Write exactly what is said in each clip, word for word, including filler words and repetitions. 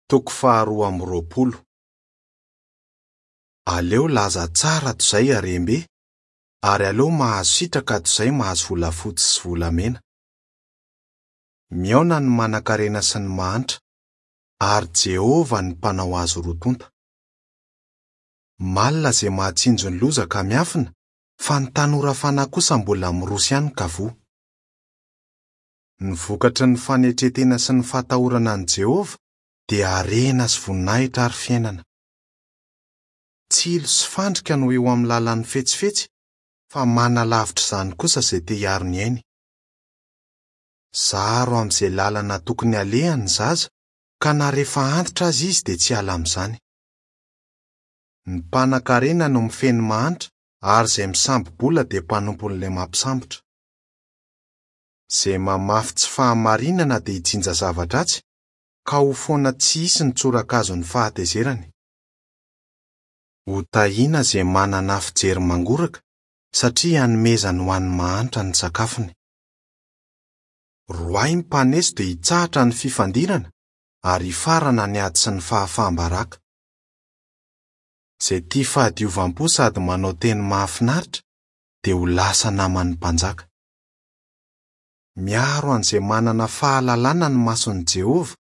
Toko faharoa amby roapolo. Aleo laza tsara toy izay harem-be, ary aleo mahazo sitraka toy izay mahazo volafotsy sy volamena. Mihaona ny manankarena sy ny mahantra, ary Jehovah no mpanao azy roa tonta. Malina izay mahatsinjo ny loza ka miafina, fa ny tanora fanahy kosa mbola miroso ihany ka voa. Ny vokatry ny fanetren-tena sy ny fahatahorana an'i Jehovah dia harena sy voninahitra ary fiainana. Tsilo sy fandrika no eo amin'ny lalan'ny fetsifetsy, fa manalavitra izany kosa izay te hiaro ny ainy. Zaro amin'izay lalana tokony halehany ny zaza, ka na rehefa antitra aza izy dia tsy hiala amin'izany. Ny mpanankarena no mifehy ny mahantra, ary izay misambo-bola dia mpanompon'ilay mampisambotra. Izay mamafy tsy fahamarinana dia hijinja zava-dratsy, ka ho foana tsy hisy ny tsorakazon'ny fahatezerany. Ho tahiana izay manana fijery mangoraka, satria hanomezany ho an'ny mahantra ny sakafony. Roahy ny mpaneso dia hitsahatra ny fifandirana, ary hifarana ny ady sy ny fahafaham-baraka. Izay tia fahadiovam-po sady manao teny mahafinaritra dia ho lasa naman'ny mpanjaka. Miaro an'izay manana fahalalana ny mason'i Jehovah,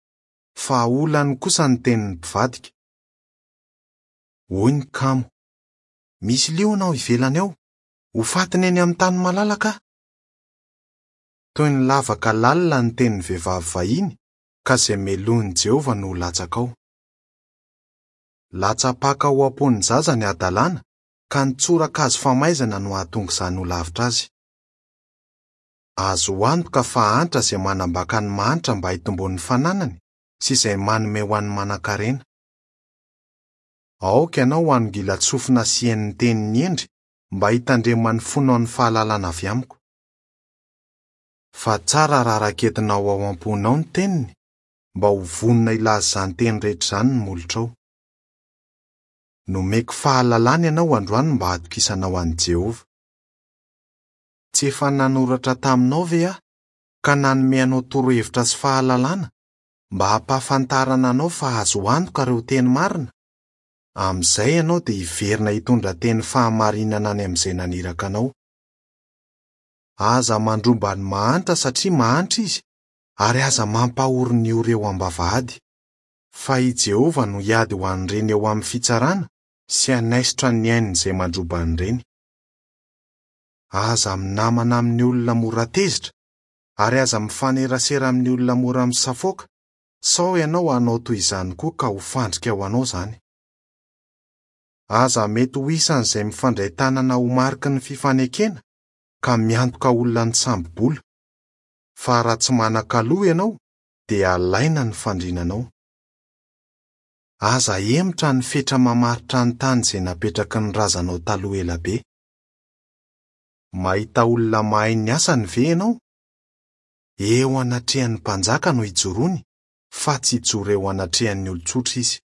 fa olany kosa ny tenin'ny mpivadika. Hoy ny kamo: "Misy liona ao ivelany ao, ho fatiny eny amin'ny tany malalaka aho." Toy ny lavaka lalina ny tenin'ny vehivavy vahiny, ka izay melohin'i Jehovah no ho latsaka ao. Latsa-paka ao am-pon'ny zaza ny hadalana, ka ny tsorakazo famaizana no hahatonga izany ho lavitra azy. Azo antoka fa antra izay manambaka ny mahantra mba hitomboan'ny fananany sy izay manome ho an'ny manankarena. Aoka ianao hanongilan-tsofina sy haino ny tenin'ny hendry mba hitandreman'ny fonao ny fahalalana avy amiko. Fa tsara raha raketinao ao am-ponao ny teniny, mba ho vonona hilaza izany teny rehetra izany ny molotrao. Nomeko fahalalana ianao androany mba hatokisanao an'i Jehovah. Tsy efa nanoratra taminao ve aho, ka nanome anao torohevitra sy fahalalana mba hampahafantarana anao fa azo antoka ireo teny marina? Amin'izay ianao dia hiverina hitondra teny fahamarinana any amin'izay naniraka anao. Aza mandromba ny mahantra satria mahantra izy, ary aza mampahory ny ory eo am-bavahady. Fa i Jehovah no hiady ho an'ireny eo amin'ny fitsarana sy hanaisotra ny ain'izay mandroba an'ireny. Aza minamana amin'ny olona mora tezitra, ary aza mifanerasera amin'ny olona mora misafoaka, sao ianao hanao toy izany koa ka ho fandrika ho anao izany. Aza mety ho isan'izay mifandray tanana ho mariky ny fifanekena, ka miantoka olona nisambo-bola. Fa raha tsy manan-kaloha ianao, dia alaina ny fandrinanao. Aza hemotra ny fetra mamaritra ny tany izay napetraky ny razanao taloha ela be. Mahita olona mahay ny asany ve ianao? Eo anatrehan'ny mpanjaka no ijoroany, fa tsy hijoro eo anatrehan'ny olon-tsotra izy.